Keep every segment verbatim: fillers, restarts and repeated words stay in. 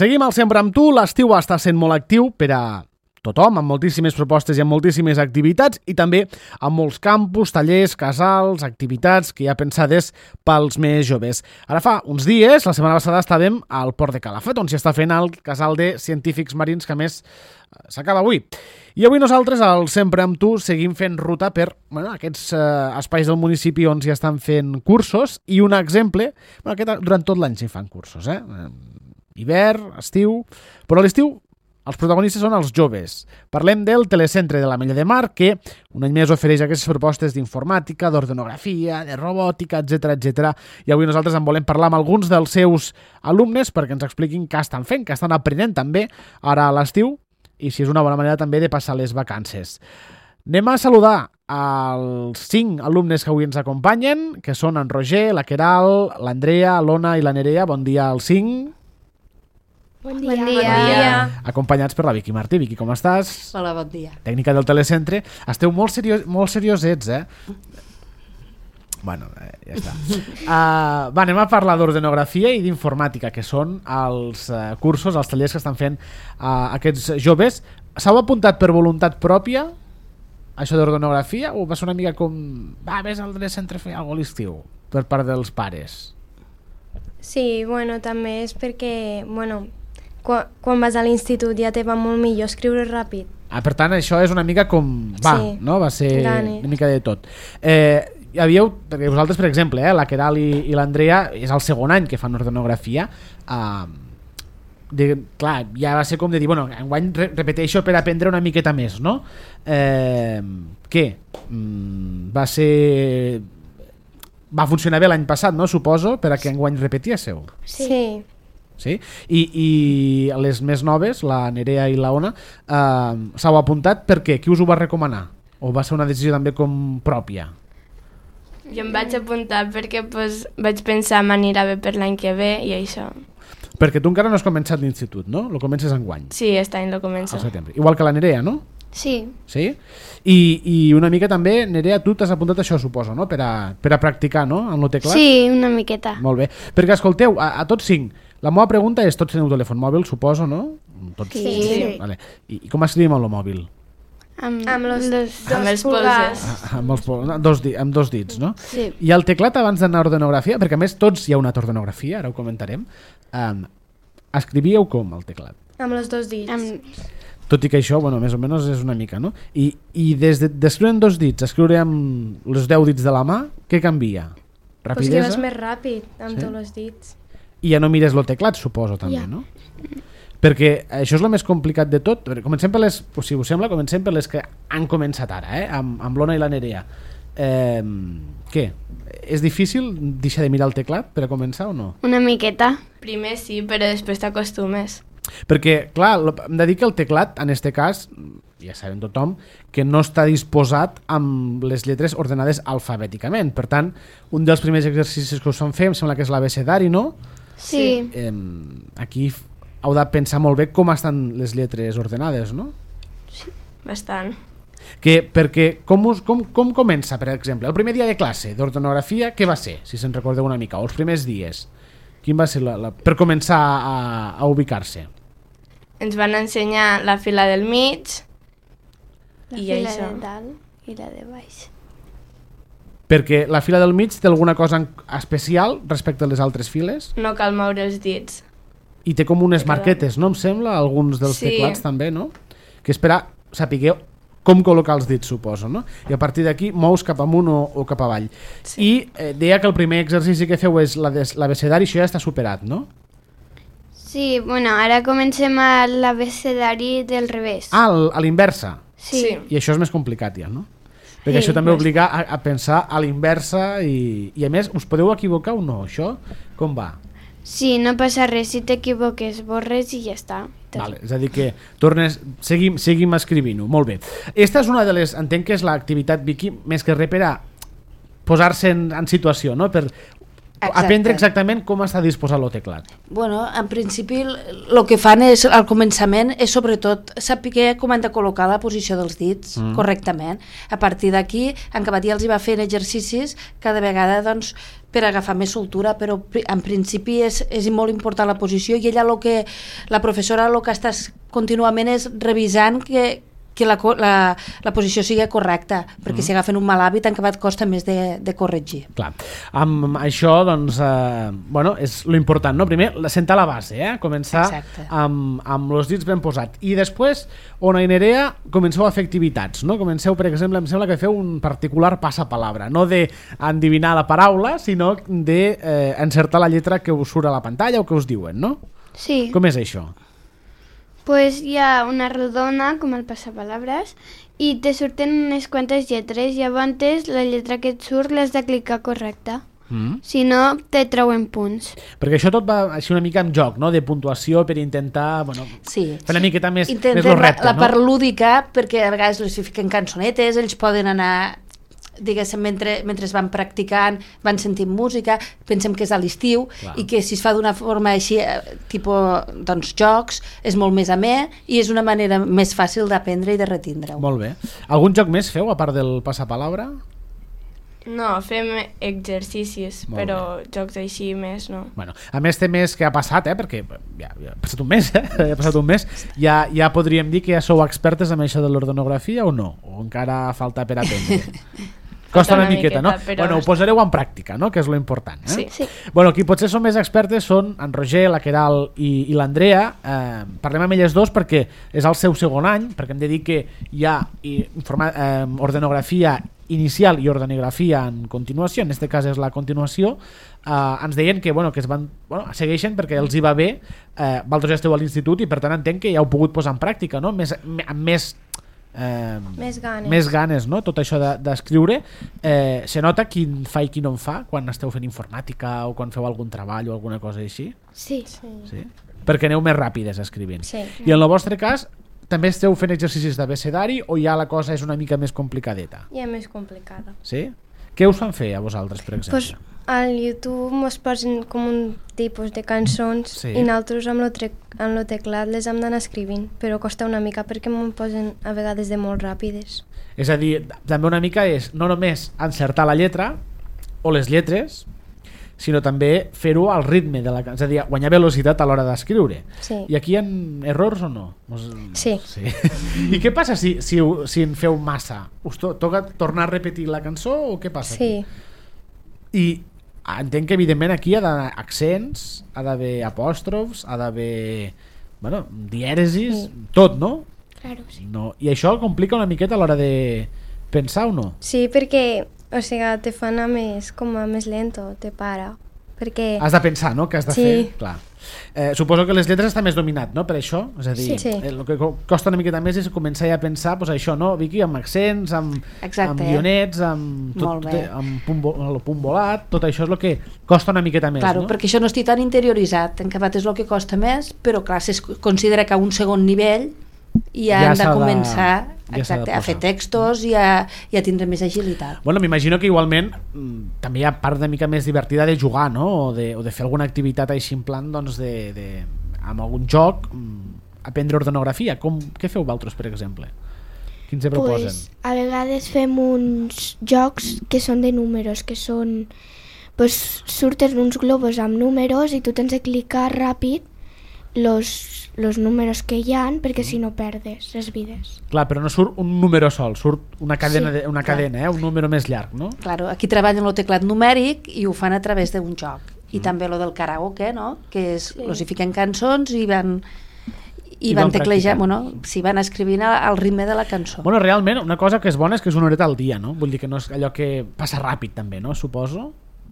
Seguim al Sempre amb tu. L'estiu està sent molt actiu per a tothom, amb moltíssimes propostes i amb moltíssimes activitats i també amb molts campus, tallers, casals, activitats que hi ha pensades pels més joves. Ara fa uns dies, la setmana passada, estàvem al Port de Calafat, on s'hi està fent el casal de científics marins que a més s'acaba avui. I avui nosaltres, al Sempre amb tu, seguim fent ruta per bueno, aquests eh, espais del municipi on s'hi estan fent cursos i un exemple, bueno, aquest, durant tot l'any s'hi fan cursos, eh? Hivern, estiu, però a l'estiu els protagonistes són els joves. Parlem del Telecentre de l'Ametlla de Mar, que un any més ofereix aquestes propostes d'informàtica, d'ordenografia, de robòtica, etcètera, etcètera. I avui nosaltres en volem parlar amb alguns dels seus alumnes perquè ens expliquin què estan fent, què estan aprenent també ara a l'estiu i si és una bona manera també de passar les vacances. Anem a saludar els cinc alumnes que avui ens acompanyen, que són en Roger, la Queralt, l'Andrea, l'Ona i la Nerea. Bon dia als cinc. Bon dia. Bon dia. Bon dia. Acompanyats per la Vicky Martí. Vicky, com estàs? Hola, bon dia. Tècnica del Telecentre. Esteu molt, serios, molt seriosets, eh? Bueno, eh, ja està. Uh, va, anem a parlar d'ordenografia i d'informàtica, que són els uh, cursos, els tallers que estan fent uh, aquests joves. S'heu apuntat per voluntat pròpia, això d'ordenografia, o va ser una mica com... Va, vés al Telecentre a fer alguna cosa a l'estiu, per part dels pares? Sí, bueno, també és perquè, bueno... Quan, quan vas a l'institut ja te va molt millor escriure ràpid. Ah, per tant, això és una mica com... Va, sí, no? Va ser ganes. Una mica de tot. Eh, havíeu, perquè vosaltres, per exemple, eh, la Queralt i, i l'Andrea, és el segon any que fan ordenografia. Eh, de, clar, ja va ser com de dir, bueno, enguany re repeteixo per aprendre una miqueta més, no? Eh, què? Mm, va ser... Va funcionar bé l'any passat, no? Suposo, per a que enguany repetíssiu. Sí. Sí? I, i les més noves, la Nerea i la Ona, eh, s'heu apuntat per què? Qui us ho va recomanar? O va ser una decisió també com pròpia? Jo em vaig apuntar perquè pues, vaig pensar m'anirà bé per l'any que ve i això. Perquè tu encara no has començat l'institut, no? Lo comences enguany. Sí, aquest any lo començo. Al setembre. Igual que la Nerea, no? Sí. Sí? I, i una mica també, Nerea, tu t'has apuntat això, suposo, no? Per a, per a practicar, no? En el teclat? Sí, una miqueta. Molt bé. Perquè, escolteu, a, a tots cinc, la meva pregunta és, tots teniu telèfon mòbil, suposo, no? Tots... Sí. sí. Vale. I, I com escrivim amb el mòbil? Amb, amb, los, los amb els polzes. Ah, amb, els, no, dos di, amb dos dits, no? Sí. I el teclat abans d'anar a ordenografia, perquè a més tots hi ha una ordenografia, ara ho comentarem, um, escrivíeu com el teclat? Amb els dos dits. Amb... Tot i que això, bueno, més o menys és una mica, no? I, i des d'escriure de, amb dos dits a escriure amb els deu dits de la mà, què canvia? Rapidesa? Pues que vas més ràpid amb sí? tots els dits. I ja no mires el teclat, suposo, també, ja. No? Perquè això és el més complicat de tot. Comencem per les, si us sembla, comencem per les que han començat ara, eh? amb, amb l'Ona i la Nerea. Eh, què? És difícil deixar de mirar el teclat per a començar o no? Una miqueta. Primer sí, però després t'acostumes. Perquè, clar, hem de dir que el teclat, en este cas, ja sabem tothom, que no està disposat amb les lletres ordenades alfabèticament. Per tant, un dels primers exercicis que us fan fer, em sembla que és l'abecedari, no? Sí. Eh, aquí heu de pensar molt bé com estan les lletres ordenades, no? Sí, bastant. Que, perquè com, us, com, com comença, per exemple, el primer dia de classe d'ordenografia, què va ser, si se'n recordeu una mica, o els primers dies? Quin va ser la, la, per començar a, a ubicar-se? Ens van ensenyar la fila del mig la i fila això. de dalt i la de baix. Perquè la fila del mig té alguna cosa especial respecte a les altres files? No cal moure els dits. I té com unes marquetes, no em sembla? Alguns dels sí. teclats també, no? Que és per a sapigueu com col·locar els dits, suposo, no? I a partir d'aquí mous cap amunt o, o cap avall. Sí. I eh, deia que el primer exercici que feu és l'abecedari, això ja està superat, no? Sí, bueno, ara comencem a l'abecedari del revés. Ah, a l'inversa. Sí. sí. I això és més complicat ja, no? Perquè sí, això també obliga a, a pensar a l'inversa i, i a més, us podeu equivocar o no? Això com va? Sí, no passa res, si t'equivoques borres i ja està. Vale, és a dir que tornes, seguim, seguim escrivint-ho, molt bé. Esta és una de les, entenc que és l'activitat Vicky, més que res per a posar-se en, en situació, no? Per Exacte. aprendre exactament com està disposat el teclat. Bueno, en principi el que fan és, al començament és sobretot saber com han de col·locar la posició dels dits mm. correctament. A partir d'aquí, en Cabatí els hi va fent exercicis cada vegada doncs, per agafar més soltura, però en principi és, és molt important la posició i ella, lo que, la professora el que està contínuament és revisant que que la, la, la posició sigui correcta, perquè mm. si agafen un mal hàbit en acabat costa més de, de corregir. Clar, amb això doncs, eh, bueno, és lo important, no? Primer, sentar la base, eh? Començar Exacte. amb, amb els dits ben posats. I després, Ona i Nerea, comenceu a fer activitats, no? Comenceu, per exemple, em sembla que feu un particular passapalabra, no d'endevinar la paraula, sinó d'encertar eh, la lletra que us surt a la pantalla o que us diuen, no? Sí. Com és això? Pues hi ha una rodona, com el passapalabres, i te surten unes quantes lletres, i llavors la lletra que et surt l'has de clicar correcta. Mm. Si no, te treuen punts. Perquè això tot va així una mica amb joc, no? De puntuació per intentar bueno, sí. fer una miqueta més, Intentem més lo repte. La, la no? part lúdica, perquè a vegades els fiquen cançonetes, ells poden anar diguéssim, mentre, mentre es van practicant, van sentint música, pensem que és a l'estiu i que si es fa d'una forma així, tipus, doncs, jocs, és molt més amè i és una manera més fàcil d'aprendre i de retindre-ho. Molt bé. Algun joc més feu, a part del passapalabra? No, fem exercicis, molt però bé. Jocs així més no. Bueno, a més té més que ha passat, eh? Perquè ja, ja ha passat un mes, eh? Ja ha passat un mes. Ja, ja podríem dir que ja sou expertes en això de l'ordenografia o no? O encara falta per aprendre? Costa una, una miqueta, miqueta, no? Però... Bueno, ho posareu en pràctica, no? Que és lo important. Eh? Sí. sí. Bueno, qui potser són més expertes són en Roger, la Queralt i, i l'Andrea. Eh, parlem amb elles dos perquè és el seu segon any, perquè hem de dir que hi ha i, forma, eh, ordenografia inicial i ordenografia en continuació, en aquest cas és la continuació. Eh, ens deien que, bueno, que es van, bueno, segueixen perquè els hi va bé. Eh, vosaltres ja esteu a l'institut i per tant entenc que ja heu pogut posar en pràctica, no? Més, amb més... Eh, més ganes, més ganes no? Tot això d'escriure de, eh, se nota quin fa i qui no en fa quan esteu fent informàtica o quan feu algun treball o alguna cosa així? Sí, sí. sí? Perquè aneu més ràpides escrivint. Sí. I en el vostre cas també esteu fent exercicis d'abecedari o ja la cosa és una mica més complicadeta? Ja més complicada. Sí? Què us fan fer a vosaltres, per exemple? Pues, al YouTube mos posen com un tipus de cançons sí. i nosaltres amb el, amb el teclat les hem d'anar escrivint, però costa una mica perquè m'ho posen a vegades de molt ràpides. És a dir, també una mica és no només encertar la lletra o les lletres, sinó també fer-ho al ritme de la cançó, és a dir, guanyar velocitat a l'hora d'escriure. Sí. I aquí hi ha errors o no? Sí. sí. I què passa si, si, si en feu massa? Us to toca tornar a repetir la cançó o què passa sí. aquí? I entenc que evidentment aquí hi ha d'haver accents, ha d'haver apòstrofs, ha d'haver bueno, dièresis, sí. tot, no? Claro, sí. No. I això complica una miqueta a l'hora de pensar o no? Sí, perquè o sigui, te fa anar més, com a més lento, te para. Perquè... Has de pensar, no?, que has de sí. fer. Clar. Eh, suposo que les lletres està més dominat, no?, per això. És a dir, sí, sí. el que costa una miqueta més és començar ja a pensar pues, això, no, Vicky, amb accents, amb, amb guionets, amb, tot, tot, amb punt, el punt volat, tot això és el que costa una miqueta més. Claro, no? perquè això no estic tan interioritzat, en acabat és el que costa més, però clar, es considera que a un segon nivell i ja, ja han de començar de, exacte, ja a fer textos i a, i a tindre més agilitat. Bueno, m'imagino que igualment també hi ha part una mica més divertida de jugar, no? O de, o de fer alguna activitat així en plan doncs, de, de, amb algun joc, aprendre ordenografia. Com, què feu vosaltres, per exemple? Quins se proposen? Pues, a vegades fem uns jocs que són de números, que són... Pues, surten uns globus amb números i tu tens de clicar ràpid los, los números que hi ha, perquè si no perdes les vides. Clar, però no surt un número sol, surt una cadena, sí, de, una cadena eh? Un número més llarg, no? Claro, aquí treballen el teclat numèric i ho fan a través d'un joc. I mm. també lo del karaoke, no? Que és, sí. Los hi fiquen cançons i van... I, I van, van teclejar, bueno, si van escrivint al ritme de la cançó. Bueno, realment, una cosa que és bona és que és una horeta al dia, no? Vull dir que no és allò que passa ràpid també, no? Suposo.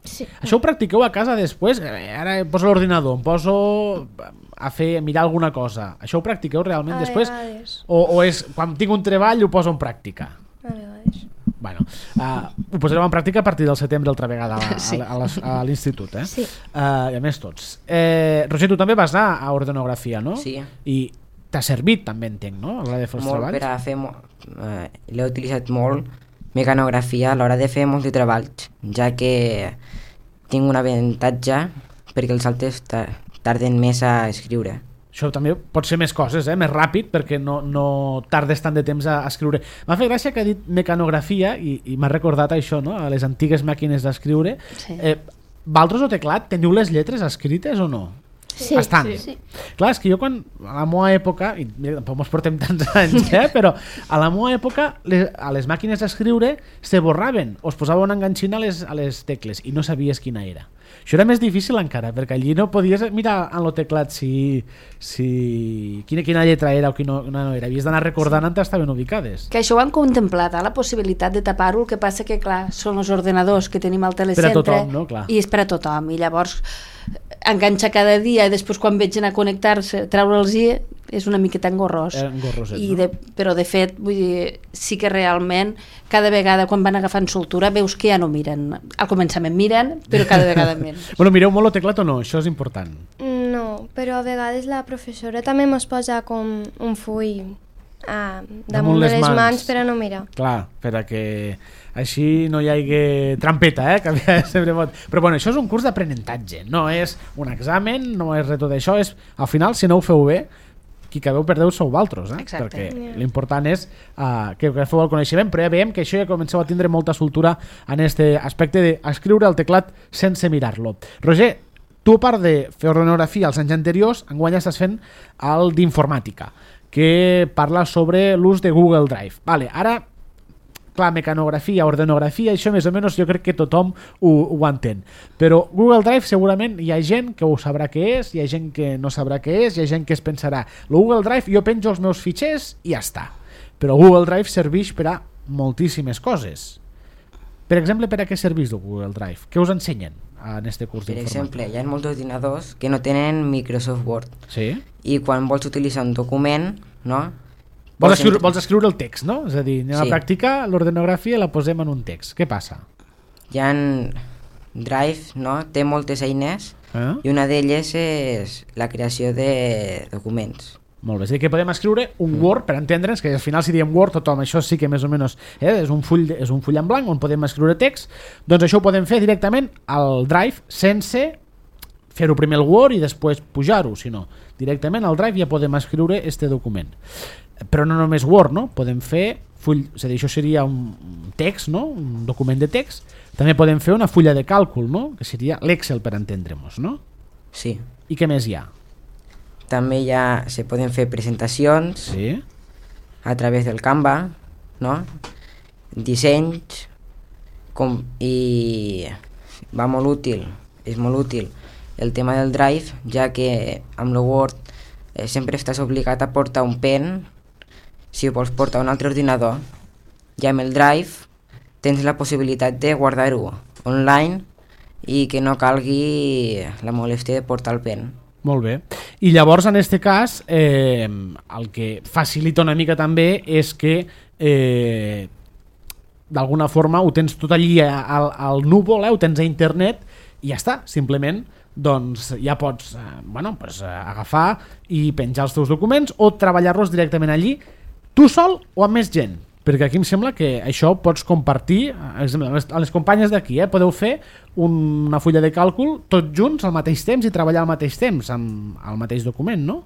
Sí. Això ho practiqueu a casa després? Ara em poso l'ordinador, em poso a fer, a mirar alguna cosa. Això ho practiqueu realment a després? Vegades. O, o és, quan tinc un treball ho poso en pràctica? A vegades. Bueno, uh, ho posarem en pràctica a partir del setembre altra vegada a, sí. a, a, a l'institut, eh? Sí. Uh, I a més tots. Eh, Roger, tu també vas anar a ordenografia, no? Sí. I t'ha servit també, entenc, no? A l'hora de fer els molt treballs? Per a fer... Eh, l'he utilitzat molt, mecanografia, a l'hora de fer molts de treballs, ja que tinc un avantatge perquè els altres tarden més a escriure. Això també pot ser més coses, eh? Més ràpid, perquè no, no tardes tant de temps a, a escriure. M'ha fet gràcia que ha dit mecanografia i, i m'ha recordat això, no? A les antigues màquines d'escriure. Sí. Eh, Valtros o teclat, teniu les lletres escrites o no? Sí. Bastant. Sí. Clar, és que jo quan, a la meva època, i mira, tampoc mos portem tants anys, eh? Però a la meva època les, a les màquines d'escriure se borraven, us posava una enganxina a les, a les tecles i no sabies quina era. Això era més difícil encara, perquè allí no podies mirar en el teclat si, si quina, quina lletra era o quina no era, havies d'anar recordant on estaven ubicades. Que això ho han contemplat, eh? La possibilitat de tapar-ho, el que passa que clar, són els ordenadors que tenim al telecentre per a tothom, no? Clar. I és per a tothom, i llavors enganxa cada dia i després quan veig anar a connectar-se, treure'ls-hi és una miqueta engorrós. Engorroset, I no? de, però de fet vull dir, sí que realment cada vegada quan van agafant soltura veus que ja no miren, al començament miren però cada vegada menys. Bueno, mireu molt el teclat o no? Això és important. No, però a vegades la professora també mos posa com un full ah, damunt, Damunt de les les mans. mans per a no mirar. Clar, per a que així no hi hagi trampeta, eh? Que havia de ser vot. Però bueno, això és un curs d'aprenentatge, no és un examen, no és res tot això, és, al final, si no ho feu bé, qui acabeu perdeu sou valtros, eh? Exacte. Perquè Yeah. l'important és uh, que, que feu el coneixement, però ja veiem que això ja comenceu a tindre molta soltura en este aspecte d'escriure el teclat sense mirar-lo. Roger, tu a part de fer ordenografia als anys anteriors, enguany estàs fent el d'informàtica, que parla sobre l'ús de Google Drive. Vale, ara, clar, mecanografia, ordenografia, això més o menys jo crec que tothom ho, ho entén. Però Google Drive segurament hi ha gent que ho sabrà què és, hi ha gent que no sabrà què és, hi ha gent que es pensarà, el Google Drive jo penjo els meus fitxers i ja està. Però Google Drive serveix per a moltíssimes coses. Per exemple, per a què serveix el Google Drive? Què us ensenyen en este curs Per d'informàtica? exemple, hi ha molts ordinadors que no tenen Microsoft Word Sí? i quan vols utilitzar un document, no? Vols escriure, vols escriure el text, no? És a dir, anem Sí. a practicar l'ordenografia i la posem en un text. Què passa? Hi ha Drive, no? Té moltes eines Eh? i una d'elles és la creació de documents. Molt bé, és a dir, que podem escriure un Word, per entendre'ns, que al final si diem Word, tothom, això sí que més o menys eh, és, un full, és un full en blanc on podem escriure text, doncs això ho podem fer directament al Drive sense fer-ho primer el Word i després pujar-ho, sinó directament al Drive ja podem escriure este document. Però no només Word, no? Podem fer full, és a dir, això seria un text, no? Un document de text. També podem fer una fulla de càlcul, no? Que seria l'Excel, per entendre-nos, no? Sí. I què més hi ha? També hi ha, se poden fer presentacions Sí? a través del Canva, no? Dissenys, com, i va molt útil, és molt útil el tema del Drive, ja que amb el Word eh, sempre estàs obligat a portar un pen si vols portar un altre ordinador, i amb el Drive tens la possibilitat de guardar-ho online i que no calgui la molèstia de portar el pen. Molt bé. I llavors, en este cas, eh, el que facilita una mica també és que eh, d'alguna forma ho tens tot allí al, al núvol, eh, ho tens a internet i ja està, simplement doncs ja pots eh, bueno, pues, eh, agafar i penjar els teus documents o treballar-los directament allí, tu sol o amb més gent, perquè aquí em sembla que això pots compartir, per exemple, a les companyes d'aquí, eh, podeu fer un, una fulla de càlcul tots junts al mateix temps i treballar al mateix temps amb el mateix document, no?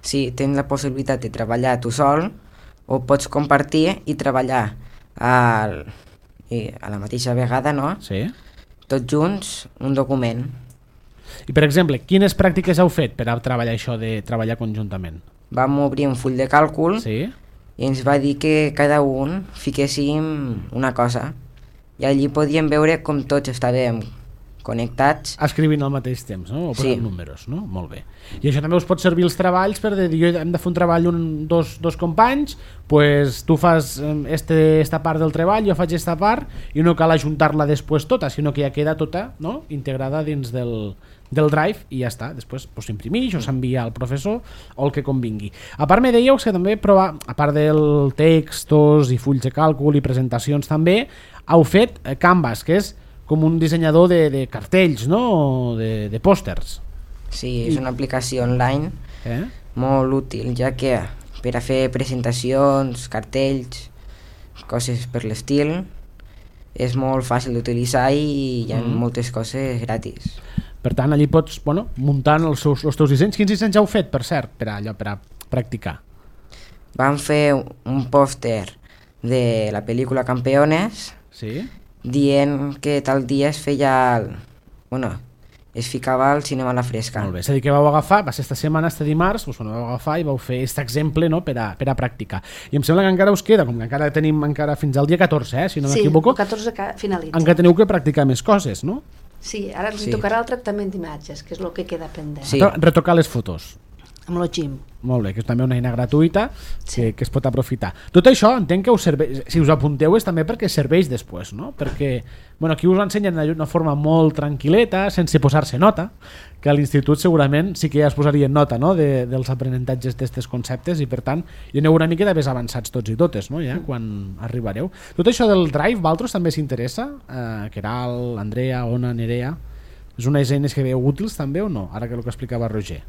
Sí, tens la possibilitat de treballar tu sol o pots compartir i treballar al, i a la mateixa vegada, no? Sí. Tots junts, un document. I per exemple, quines pràctiques heu fet per a treballar això de treballar conjuntament? Vam obrir un full de càlcul Sí? i ens va dir que cada un fiquéssim una cosa i allí podíem veure com tots estàvem connectats. Escrivint al mateix temps, no? O posant Sí. números, no? Molt bé. I això també us pot servir els treballs per dir, jo hem de fer un treball un, dos, dos companys, pues tu fas este, esta part del treball, jo faig esta part i no cal ajuntar-la després tota, sinó que ja queda tota, no?, integrada dins del, del Drive i ja està. Després pues, s'imprimix o s'envia al professor o el que convingui. A part me dèieu que també provar, a part del textos i fulls de càlcul i presentacions també, heu fet Canvas, que és com un dissenyador de, de cartells, no?, o de, de pòsters. Sí, és una aplicació online Eh? molt útil, ja que per a fer presentacions, cartells, coses per l'estil, és molt fàcil d'utilitzar i hi ha mm. moltes coses gratis. Per tant, allí pots, bueno, muntant els, seus, els teus dissenys. Quins dissenys heu fet, per cert, per a, allò, per a practicar? Vam fer un pòster de la pel·lícula Campeones, sí? dient que tal dia es feia... El, bueno, es ficava al cinema a la fresca. Molt bé, és a dir, que vau agafar, va ser esta setmana, este dimarts, doncs, bueno, vau agafar i vau fer aquest exemple, no?, per a, per a practicar. I em sembla que encara us queda, com que encara tenim encara fins al dia catorze, eh, si no sí, m'equivoco, el catorze finalitza. encara teniu que practicar més coses, no? Sí, ara els sí. tocarà el tractament d'imatges, que és el que queda pendent. Sí. Retocar les fotos. Amb l'Ogim. Molt bé, que és també una eina gratuïta sí. que, que es pot aprofitar. Tot això entenc que us serveix, si us apunteu és també perquè serveix després, no? Perquè bueno, aquí us ho ensenyen d'una forma molt tranquil·leta, sense posar-se nota, que a l'institut segurament sí que ja es posarien nota, no? de, dels aprenentatges d'aquests conceptes i per tant hi aneu una miqueta més avançats tots i totes, no? Ja, quan arribareu. Tot això del Drive, Valtros també s'interessa? Eh, Queralt, Andrea, Ona, Nerea? És unes eines que veieu útils també o no? Ara que el que explicava Roger.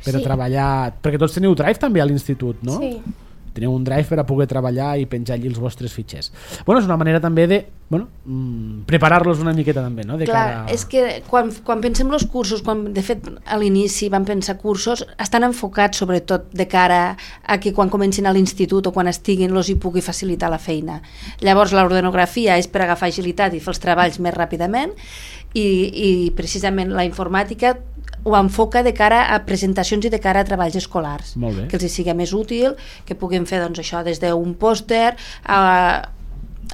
Per a sí. treballar... Perquè tots teniu Drive també a l'institut, no? Sí. Teniu un Drive per a poder treballar i penjar allí els vostres fitxers. Bueno, és una manera també de bueno, mmm, preparar-los una miqueta també, no? De Clar, cara... és que quan, quan pensem els cursos, quan de fet a l'inici vam pensar cursos, estan enfocats sobretot de cara a que quan comencin a l'institut o quan estiguin els hi pugui facilitar la feina. Llavors l'ordenografia és per agafar agilitat i fer els treballs més ràpidament i, i precisament la informàtica ho enfoca de cara a presentacions i de cara a treballs escolars, que els hi sigui més útil, que puguin fer doncs, això des d'un pòster a,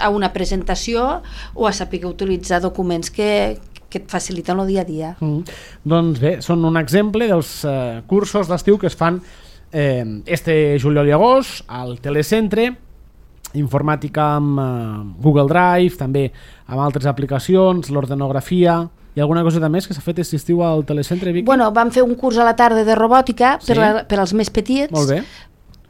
a una presentació o a saber utilitzar documents que, que et faciliten el dia a dia. Mm. Doncs bé, són un exemple dels uh, cursos d'estiu que es fan eh, este juliol i agost al Telecentre, informàtica amb uh, Google Drive, també amb altres aplicacions, l'ordenografia. Hi ha alguna cosa més que s'ha fet aquest estiu al Telecentre, Vicky? Bueno, vam fer un curs a la tarda de robòtica sí? per, la, per als més petits. Molt bé.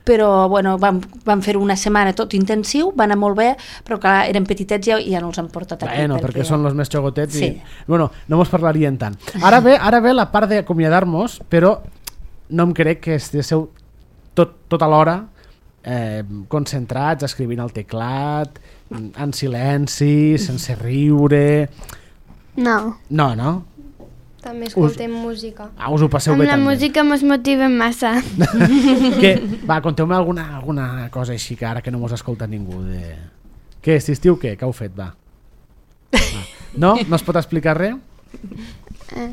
Però bueno, vam, vam fer una setmana tot intensiu, va anar molt bé, però clar, eren petitets i ja, ja no els han portat aquí. Bueno, perquè, perquè són els més xocotets sí. i... Bueno, no mos parlarien tant. Ara ve, ara ve la part d'acomiadar-nos, però no em crec que estigueu tot, tot a l'hora eh, concentrats, escrivint al teclat, en silenci, sense riure... No. No, no? També escoltem us... música. Ah, us ho passeu amb bé també. Amb la música mos motivem massa. que, va, conteu-me alguna, alguna cosa així que ara que no mos escolta ningú. De... Què, si estiu què? Què heu fet, va? va. No? No es pot explicar res? Uh...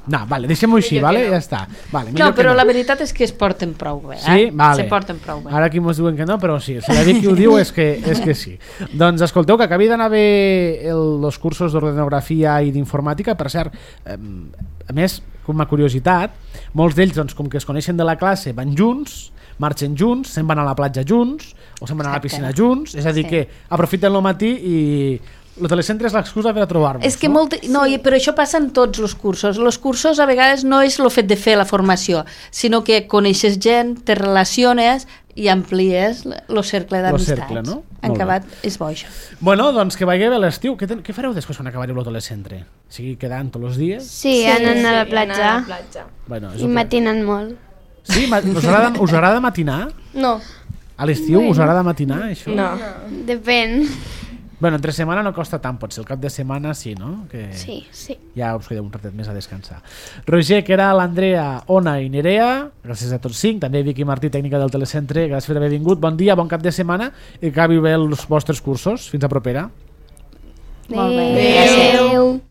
No, vale, deixem-ho així, vale? No. Ja està. Vale, no, però no. La veritat és que es porten prou bé. Eh? Sí? Vale. Se porten prou bé. Ara aquí mos diuen que no, però sí. Si la Vicky ho diu és que, és que sí. Doncs escolteu, que acabi d'anar bé els cursos d'ordenografia i d'informàtica. Per cert, eh, a més, com a curiositat, molts d'ells, doncs, com que es coneixen de la classe, van junts, marxen junts, se'n van a la platja junts, o se'n van a la piscina junts, és a dir, sí. que aprofiten el matí i... El Telecentre és l'excusa per a trobar-nos. És que no? molt, no, sí. Però això passa en tots els cursos. Els cursos a vegades no és el fet de fer la formació, sinó que coneixes gent, te relaciones i amplies el cercle d'amistats. No? En acabat és bo això. Bueno, doncs que vagi bé l'estiu. Què, què fareu després quan acabareu el Telecentre? O sigui, quedant tots els dies? Sí, sí anant a la platja. A la platja. Bueno, I matinant molt. Sí? Us agrada, us agrada matinar? No. A l'estiu bueno. us agrada matinar, això? No. no. Depèn. Bueno, entre setmana no costa tant, potser el cap de setmana sí, no? Que sí, sí. Ja us quedeu un ratet més a descansar. Roger, que era l'Andrea, Ona i Nerea, gràcies a tots cinc, també Vicky Martí, tècnica del Telecentre, gràcies per haver vingut, bon dia, bon cap de setmana i que acabi bé els vostres cursos. Fins a propera. Adéu. Adéu.